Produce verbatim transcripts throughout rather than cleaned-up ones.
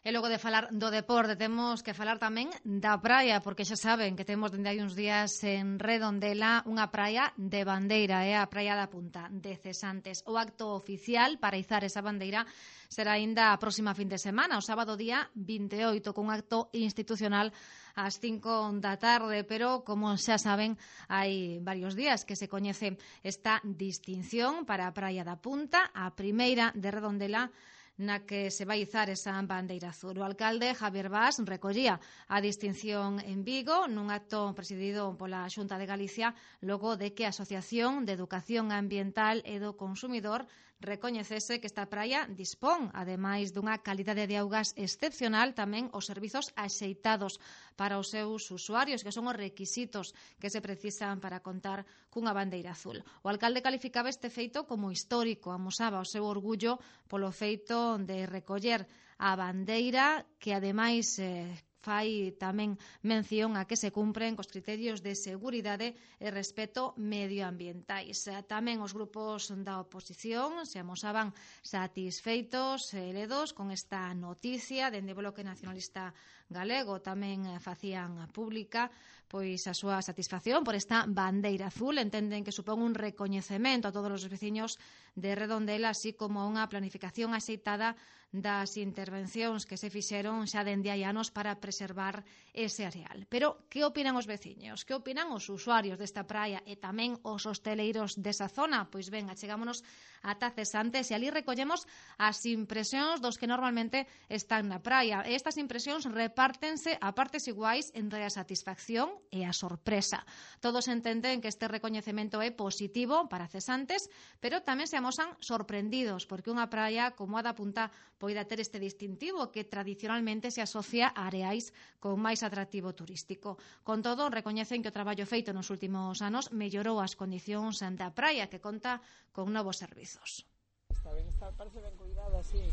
E logo de falar do deporte temos que falar tamén da praia, porque xa saben que temos dende hai uns días en Redondela unha praia de bandeira, é a Praia da Punta de Cesantes. O acto oficial para izar esa bandeira será aínda a próxima fin de semana, o sábado día vinte e oito, con un acto institucional ás cinco da tarde, pero como xa saben, hai varios días que se coñece esta distinción para a Praia da Punta, a primeira de Redondela, na que se vai izar esa bandeira azul. O alcalde Javier Bas recollía a distinción en Vigo nun acto presidido pola Xunta de Galicia logo de que a Asociación de Educación Ambiental e do Consumidor recoñecese que esta praia dispón, ademais dunha calidade de augas excepcional, tamén os servizos axeitados para os seus usuarios, que son os requisitos que se precisan para contar cunha bandeira azul. O alcalde calificaba este feito como histórico, amosaba o seu orgullo polo feito de recoller a bandeira, que ademais eh, fai tamén mención a que se cumpren cos criterios de seguridade e respeto medioambientais. Tamén os grupos da oposición se amosaban satisfeitos e ledos con esta noticia. Dende o Bloque Nacionalista Galego tamén facían pública pois a súa satisfacción por esta bandeira azul. Entenden que supón un recoñecemento a todos os veciños de Redondela, así como unha planificación axeitada das intervencións que se fixeron xa dende hai anos para preservar ese areal. Pero que opinan os veciños? Que opinan os usuarios desta praia e tamén os hosteleiros desa zona? Pois ben, achegámonos ata Cesantes e ali recollemos as impresións dos que normalmente están na praia. E estas impresións repártense a partes iguais entre a satisfacción e a sorpresa. Todos entenden que este recoñecemento é positivo para Cesantes, pero tamén se amosan sorprendidos porque unha praia como a da Punta poida ter este distintivo que tradicionalmente se asocia a areais con máis atractivo turístico. Con todo, recoñecen que o traballo feito nos últimos anos mellorou as condicións da praia, que conta con novos servizos. Está ben, está, parece ben cuidada, sí.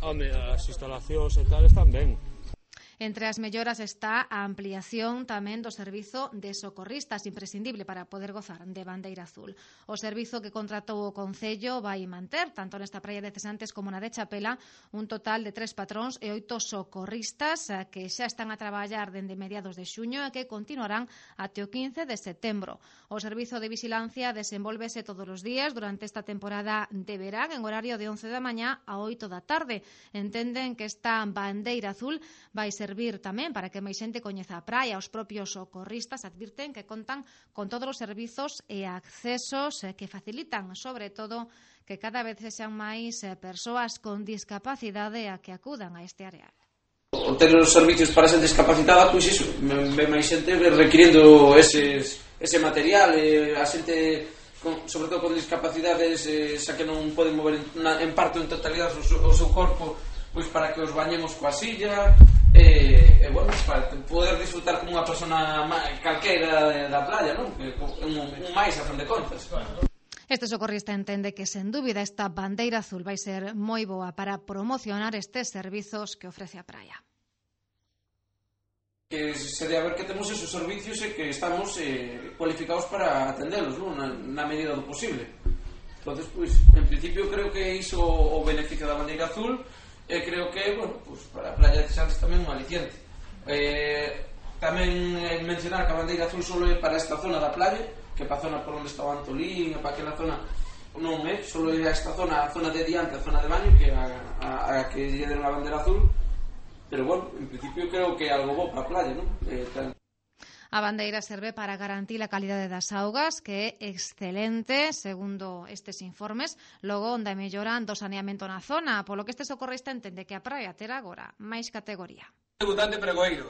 Home, as instalacións e tal están ben. Entre as melloras está a ampliación tamén do servizo de socorristas, imprescindible para poder gozar de bandeira azul. O servizo que contratou o Concello vai manter, tanto nesta praia de Cesantes como na de Chapela, un total de tres patróns e oito socorristas que xa están a traballar dende mediados de xuño e que continuarán até o quince de setembro. O servizo de vigilancia desenvolvese todos os días durante esta temporada de verán en horario de once da mañá a oito da tarde. Entenden que esta bandeira azul vai ser servir tamén para que máis xente coñeza a praia. Os propios socorristas advirten que contan con todos os servizos e accesos que facilitan, sobre todo, que cada vez sexan máis persoas con discapacidade a que acudan a este areal. O ter os servicios para xente discapacitada, pois iso, ve máis xente requirindo eses, ese material, e a xente, con, sobre todo con discapacidades, eh, xa que non poden mover en, na, en parte ou en totalidade o seu, o seu corpo, pois para que os bañemos coa silla, e, e bueno, para poder disfrutar como unha persona calqueira da playa, non? Un, un máis a fin de contas. Este socorrista entende que, sen dúbida, esta bandeira azul vai ser moi boa para promocionar estes servizos que ofrece a praia. Que se debe a ver que temos esos servicios e que estamos eh, cualificados para atendelos, non? Na, na medida do posible. Entonces, pois, en principio creo que iso o beneficio da bandeira azul. E creo que, bueno, pues para a playa de Cesantes tamén un aliciente. Eh, tamén eh, mencionar que a bandeira azul só é para esta zona da playa, que para a zona por onde está o Antolín, para aquela zona non é, só é esta zona, a zona de diante, a zona de baño, que a, a, a que lle den a bandeira azul. Pero, bueno, en principio creo que é algo bo para a playa, non? Eh, tal. A bandeira serve para garantir a calidade das augas, que é excelente, segundo estes informes, logo onde melloran do saneamento na zona, polo que este socorrista entende que a praia terá agora máis categoría. Debutante pregoeiro.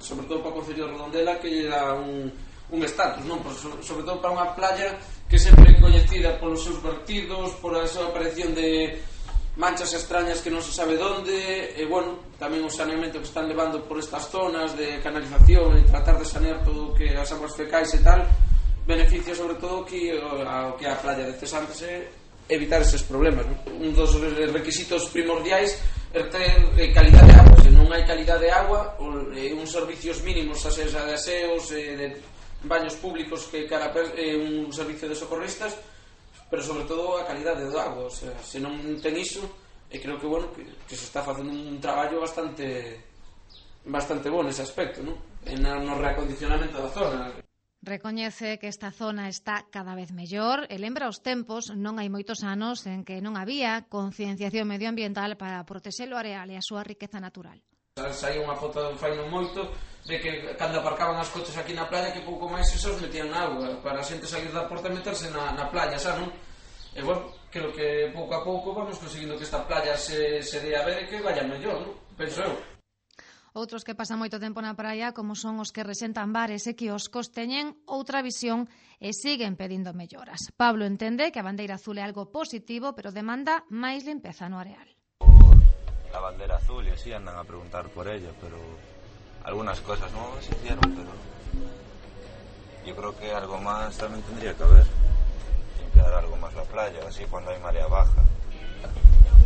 Sobre todo para o Concello de Redondela, que lle dá un, un estatus, non? Sobre todo para unha playa que sempre é coñecida polos seus vertidos, por a súa aparición de manchas extrañas que non se sabe onde, e, bueno, tamén o saneamento que están levando por estas zonas de canalización e tratar de sanear todo o que as aguas fecais e tal, beneficia sobre todo que ao que a playa de Cesantes é evitar eses problemas, non? Un dos requisitos primordiais é ter calidad de agua. Se non hai calidad de agua, uns servicios mínimos, a seja de aseos, de baños públicos, que cara un servicio de socorristas, pero sobre todo a calidade do agua. O sea, se non ten iso, e creo que, bueno, que, que se está facendo un traballo bastante bastante bo nese aspecto, non? En no reacondicionamento da zona. Recoñece que esta zona está cada vez mellor e lembra os tempos, non hai moitos anos, en que non había concienciación medioambiental para protexer o areal e a súa riqueza natural. Saía unha foto fai non moito de que cando aparcaban as coches aquí na playa que pouco máis esos metían na auga para a xente salir da porta e meterse na, na playa, xa non? E bueno, creo que pouco a pouco vamos conseguindo que esta playa se, se dé a ver e que vaya mellor, non? Penso eu. Outros que pasan moito tempo na praia, como son os que resentan bares e quioscos, teñen outra visión e siguen pedindo melloras. Pablo entende que a bandeira azul é algo positivo, pero demanda máis limpeza no areal. La bandera azul y así andan a preguntar por ella, pero algunas cosas no se hicieron, pero yo creo que algo más también tendría que haber. Limpiar algo más la playa, así cuando hay marea baja.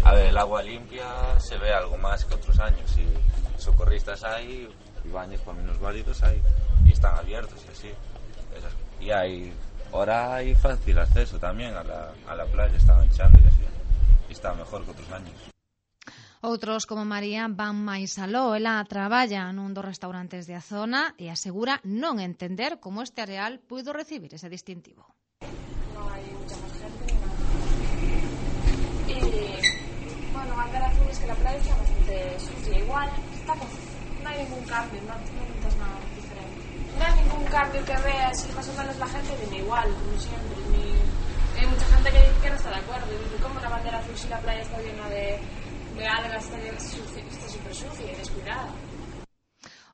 A ver, el agua limpia se ve algo más que otros años y socorristas hay y baños para minusválidos hay y están abiertos y así. Esas, y hay ahora hay fácil acceso también a la, a la playa, están echando y así. Y está mejor que otros años. Outros, como María, van máis aló. Ela traballa nun dos restaurantes da zona e asegura non entender como este areal puido recibir ese distintivo. No hay mucha más gente ni nada. Y bueno, bandera azul es que la playa está bastante sucia. Igual, está con... no hay ningún cambio, no, no notas nada diferente. No hay ningún cambio que veas y más o menos la gente viene igual, como siempre. Ni... Hay mucha gente que, que no está de acuerdo. Dice, ¿cómo la bandera azul si la playa está llena de... de algas, está super sucia e descuidada?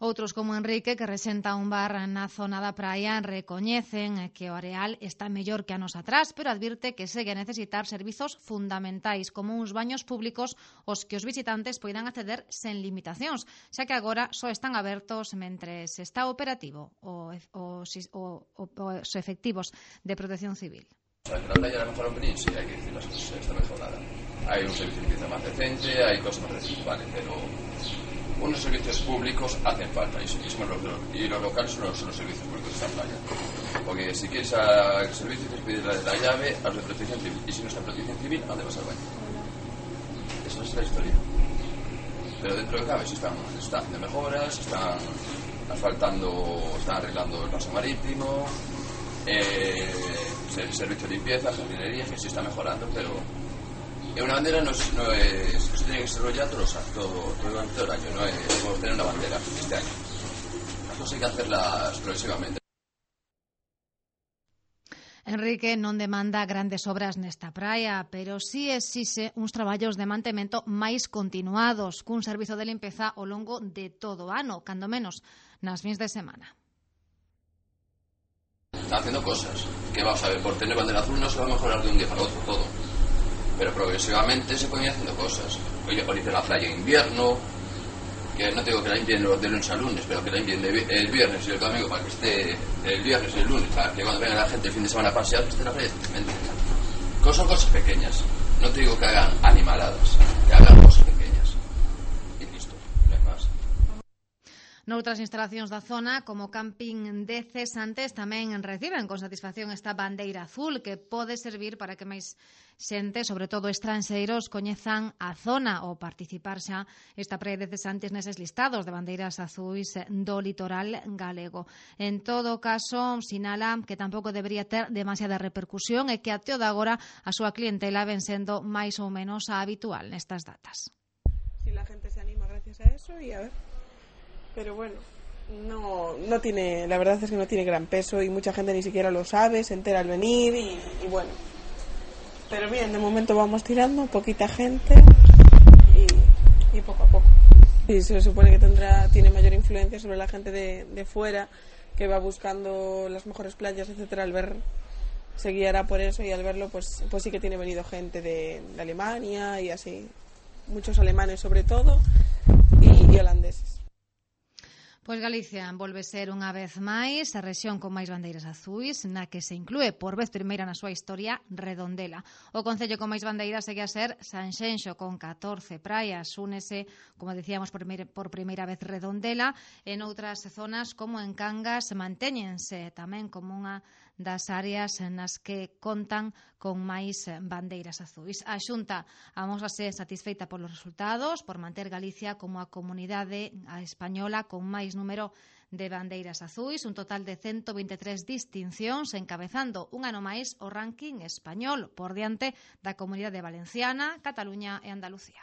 Outros, como Enrique, que resenta un bar na zona da praia, recoñecen que o areal está mellor que anos atrás, pero advirte que segue a necesitar servizos fundamentais, como uns baños públicos aos que os visitantes poidan acceder sen limitacións, xa que agora só están abertos mentres está operativo os, os, os efectivos de protección civil. La playa la mejoraron venir, sí, hay que decir las cosas, está mejorada. Hay un servicio de limpieza más decente, hay cosas más decentes, vale, pero unos servicios públicos hacen falta y, y, son los, y los locales son los, son los servicios públicos de esta playa. Porque si quieres al servicio tienes que pedir la, la llave a los de protección civil y si no está en protección civil, ¿a dónde vas al baño? Esa es la historia. Pero dentro de cabe se están, se están haciendo mejoras, se están asfaltando, están arreglando el paso marítimo, eh, el servicio de limpieza, jardinería, que sí está mejorando, pero una bandera no es, no es, no se tiene que desarrollar todo, todo, todo, todo el año, no es como tener una bandera este año. Las cosas hay que hacerlas progresivamente. Enrique non demanda grandes obras nesta praia, pero sí exixe uns traballos de mantemento máis continuados, cun servizo de limpeza ao longo de todo o ano, cando menos nas fins de semana. Están haciendo cosas, que vamos a ver, por tener bandera azul no se va a mejorar de un día para otro todo, pero progresivamente se pueden ir haciendo cosas. Oye, por la playa en invierno, que no tengo que la limpien de lunes a lunes, pero que la limpien el viernes y el domingo para que esté el viernes y el lunes, para que cuando venga la gente el fin de semana a pasear, que esté en la playa. Son cosas pequeñas, no te digo que hagan animaladas, que hagan cosas pequeñas. Y listo, no hay más. Noutras instalacións da zona, como camping de Cesantes, tamén reciben con satisfacción esta bandeira azul que pode servir para que máis xente, sobre todo estranxeiros, coñezan a zona ou participar xa esta praia de Cesantes neses listados de bandeiras azuis do litoral galego. En todo caso, sinala que tampouco debería ter demasiada repercusión e que até o de agora a súa clientela ven sendo máis ou menos a habitual nestas datas. Si la gente se anima gracias a eso y a ver... Pero bueno, no, no tiene, la verdad es que no tiene gran peso y mucha gente ni siquiera lo sabe, se entera al venir y, y bueno. Pero bien, de momento vamos tirando, poquita gente y, y poco a poco. Y se supone que tendrá, tiene mayor influencia sobre la gente de, de fuera, que va buscando las mejores playas, etcétera, al ver, se guiará por eso y al verlo pues, pues sí que tiene venido gente de, de Alemania y así, muchos alemanes sobre todo y, y holandeses. Pois Galicia volve ser unha vez máis a rexión con máis bandeiras azuis, na que se inclúe por vez primeira na súa historia Redondela. O concello con máis bandeiras segue a ser Sanxenxo con catorce praias. Únese, como decíamos, por primeira, por primeira vez Redondela. En outras zonas, como en Cangas, mantéñense tamén como unha das áreas nas que contan con máis bandeiras azuis. A Xunta amósase satisfeita polos resultados, por manter Galicia como a comunidade española con máis número de bandeiras azuis, un total de ciento veintitrés distincións, encabezando un ano máis o ranking español por diante da Comunidade Valenciana, Cataluña e Andalucía.